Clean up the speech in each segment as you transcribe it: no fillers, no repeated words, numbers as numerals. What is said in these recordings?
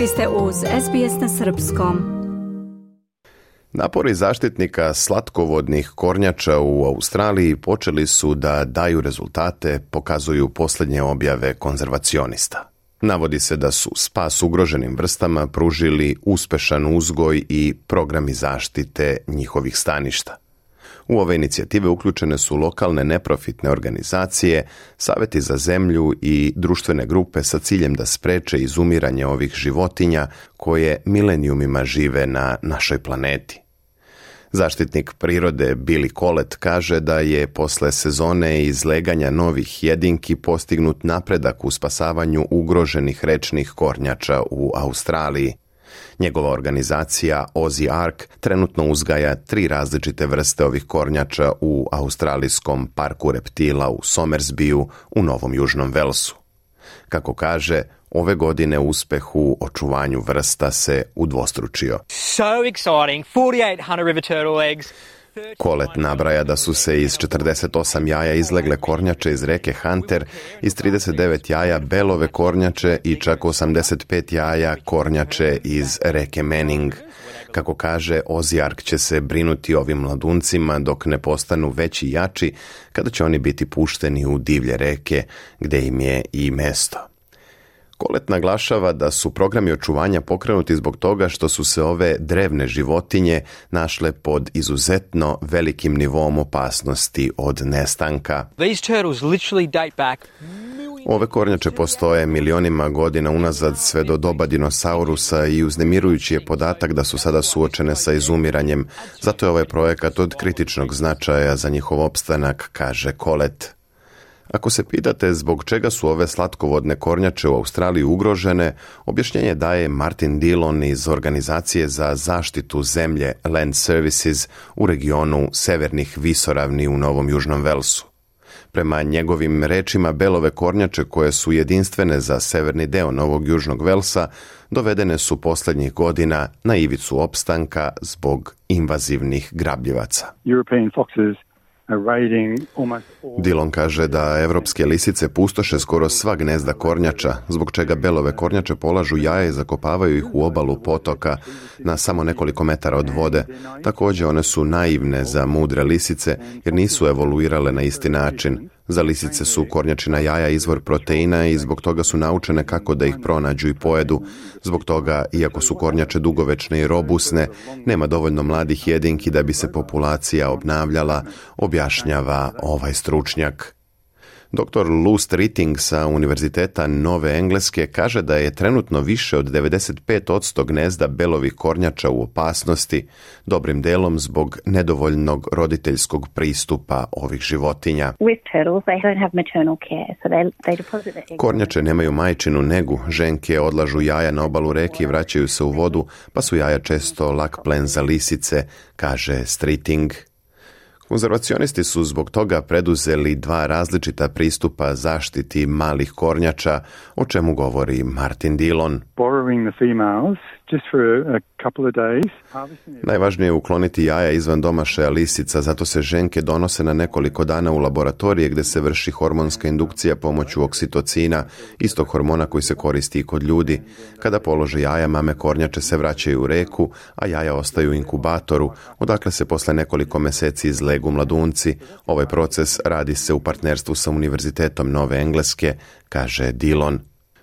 Vi ste uz SBS na srpskom. Napori zaštitnika slatkovodnih kornjača u Australiji počeli su da daju rezultate, pokazuju posljednje objave konzervacionista. Navodi se da su spas ugroženim vrstama pružili uspešan uzgoj i programi zaštite njihovih staništa. U ove inicijative uključene su lokalne neprofitne organizacije, saveti za zemlju i društvene grupe sa ciljem da spreče izumiranje ovih životinja koje milenijumima žive na našoj planeti. Zaštitnik prirode Billy Collett kaže da je posle sezone izleganja novih jedinki postignut napredak u spasavanju ugroženih rečnih kornjača u Australiji. Njegova organizacija Aussie Ark trenutno uzgaja 3 različite vrste ovih kornjača u australijskom parku reptila u Somersbiju u Novom Južnom Velsu. Kako kaže, ove godine uspeh u očuvanju vrsta se udvostručio. So exciting, 4,800 river turtle eggs. Collett nabraja da su se iz 48 jaja izlegle kornjače iz reke Hunter, iz 39 jaja belove kornjače i čak 85 jaja kornjače iz reke Manning. Kako kaže, Aussie Ark će se brinuti ovim mladuncima dok ne postanu veći i jači, kada će oni biti pušteni u divlje reke, gde im je i mesto. Collett naglašava da su programi očuvanja pokrenuti zbog toga što su se ove drevne životinje našle pod izuzetno velikim nivom opasnosti od nestanka. Ove kornjače postoje milionima godina unazad sve do doba dinosaurusa i uznemirujući je podatak da su sada suočene sa izumiranjem. Zato je ovaj projekat od kritičnog značaja za njihov opstanak, kaže Collett. Ako se pitate zbog čega su ove slatkovodne kornjače u Australiji ugrožene, objašnjenje daje Martin Dillon iz Organizacije za zaštitu zemlje Land Services u regionu Severnih visoravni u Novom Južnom Velsu. Prema njegovim rečima, belove kornjače koje su jedinstvene za severni deo Novog Južnog Velsa dovedene su posljednjih godina na ivicu opstanka zbog invazivnih grabljivaca. Dillon kaže da evropske lisice pustoše skoro sva gnezda kornjača, zbog čega belove kornjače polažu jaja i zakopavaju ih u obalu potoka na samo nekoliko metara od vode. Također one su naivne za mudre lisice jer nisu evoluirale na isti način. Za lisice su kornjačina jaja izvor proteina i zbog toga su naučene kako da ih pronađu i pojedu. Zbog toga, iako su kornjače dugovečne i robusne, nema dovoljno mladih jedinki da bi se populacija obnavljala, objašnjava ovaj stručnjak. Dr. Lou Streeting sa Univerziteta Nove Engleske kaže da je trenutno više od 95% gnezda belovih kornjača u opasnosti, dobrim delom zbog nedovoljnog roditeljskog pristupa ovih životinja. Kornjače nemaju majčinu negu, ženke odlažu jaja na obalu reke i vraćaju se u vodu, pa su jaja često lak plen za lisice, kaže Streeting. Konzervacionisti su zbog toga preduzeli 2 različita pristupa zaštiti malih kornjača, o čemu govori Martin Dillon. Najvažnije je ukloniti jaja izvan domašaja lisica, zato se ženke donose na nekoliko dana u laboratorije gdje se vrši hormonska indukcija pomoću oksitocina, istog hormona koji se koristi i kod ljudi. Kada polože jaja, mame kornjače se vraćaju u reku, a jaja ostaju u inkubatoru, odakle se posle nekoliko meseci izlegu mladunci. Ovaj proces radi se u partnerstvu sa Univerzitetom Nove Engleske, kaže Dillon.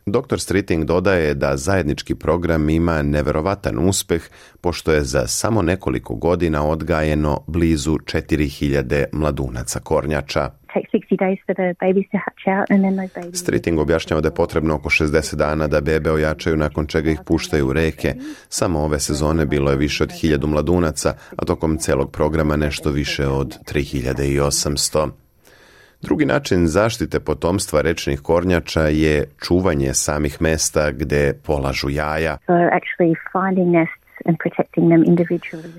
Dr. Streeting dodaje da zajednički program ima neverovatan uspeh, pošto je za samo nekoliko godina odgajeno blizu 4000 mladunaca kornjača. Streeting objašnjava da je potrebno oko 60 dana da bebe ojačaju, nakon čega ih puštaju u reke. Samo ove sezone bilo je više od 1000 mladunaca, a tokom celog programa nešto više od 3800. Drugi način zaštite potomstva rečnih kornjača je čuvanje samih mesta gde polažu jaja.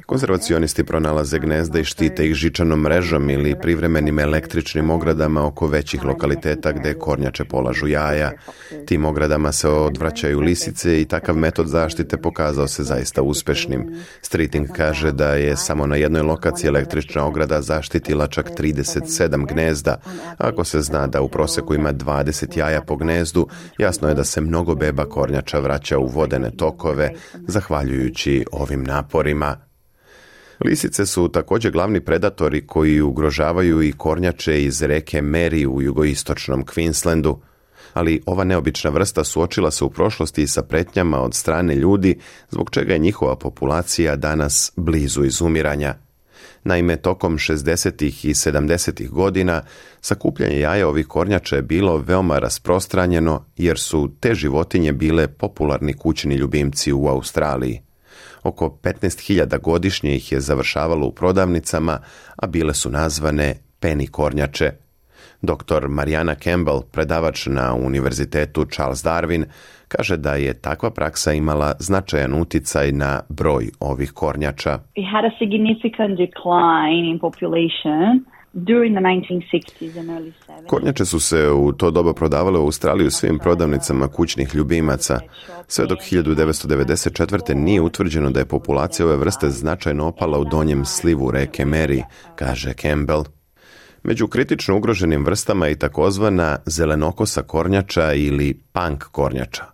Konzervacionisti pronalaze gnezda i štite ih žičanom mrežom ili privremenim električnim ogradama oko većih lokaliteta gde kornjače polažu jaja. Tim ogradama se odvraćaju lisice i takav metod zaštite pokazao se zaista uspešnim. Streeting kaže da je samo na jednoj lokaciji električna ograda zaštitila čak 37 gnezda. Ako se zna da u proseku ima 20 jaja po gnezdu, jasno je da se mnogo beba kornjača vraća u vodene tokove, zahvaljujući ovim naporima. Lisice su također glavni predatori koji ugrožavaju i kornjače iz reke Mary u jugoistočnom Queenslandu, ali ova neobična vrsta suočila se u prošlosti sa pretnjama od strane ljudi, zbog čega je njihova populacija danas blizu izumiranja. Naime, tokom 60. i 70. godina sakupljanje jaja ovih kornjača je bilo veoma rasprostranjeno jer su te životinje bile popularni kućni ljubimci u Australiji. Oko 15.000 godišnje ih je završavalo u prodavnicama, a bile su nazvane penny kornjače. Dr. Mariana Campbell, predavač na Univerzitetu Charles Darwin, kaže da je takva praksa imala značajan uticaj na broj ovih kornjača. We had a significant decline in population during the 1960s and early 70s. Kornjače su se u to doba prodavale u Australiji u svim prodavnicama kućnih ljubimaca. Sve dok 1994. nije utvrđeno da je populacija ove vrste značajno opala u donjem slivu reke Mary, kaže Campbell. Među kritično ugroženim vrstama je i takozvana zelenokosa kornjača ili punk kornjača.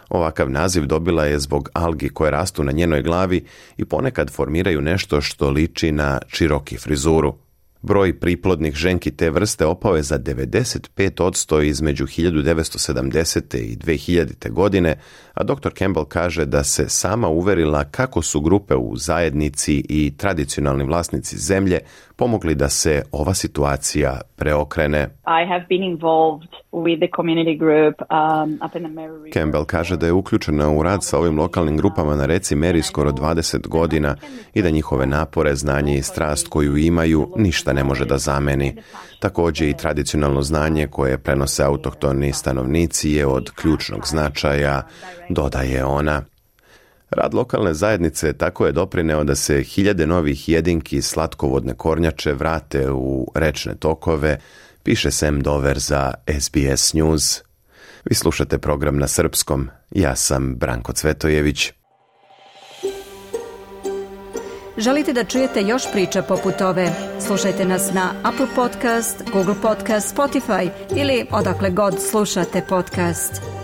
Ovakav naziv dobila je zbog algi koje rastu na njenoj glavi i ponekad formiraju nešto što liči na široki frizuru. Broj priplodnih ženki te vrste opao je za 95% između 1970. i 2000. godine, a dr. Campbell kaže da se sama uverila kako su grupe u zajednici i tradicionalni vlasnici zemlje pomogli da se ova situacija preokrene. I have been involved with the community group up in the Mary River. Campbell kaže da je uključena u rad sa ovim lokalnim grupama na reci Mary skoro 20 godina i da njihove napore, znanje i strast koju imaju ništa ne može da zameni. Također i tradicionalno znanje koje prenose autohtoni stanovnici je od ključnog značaja, dodaje ona. Rad lokalne zajednice tako je doprineo da se hiljade novih jedinki slatkovodne kornjače vrate u rečne tokove, piše Sam Dover za SBS News. Vi slušate program na srpskom, ja sam Branko Cvetojević. Želite da čujete još priča poput ove? Slušajte nas na Apple Podcast, Google Podcast, Spotify ili odakle god slušate podcast.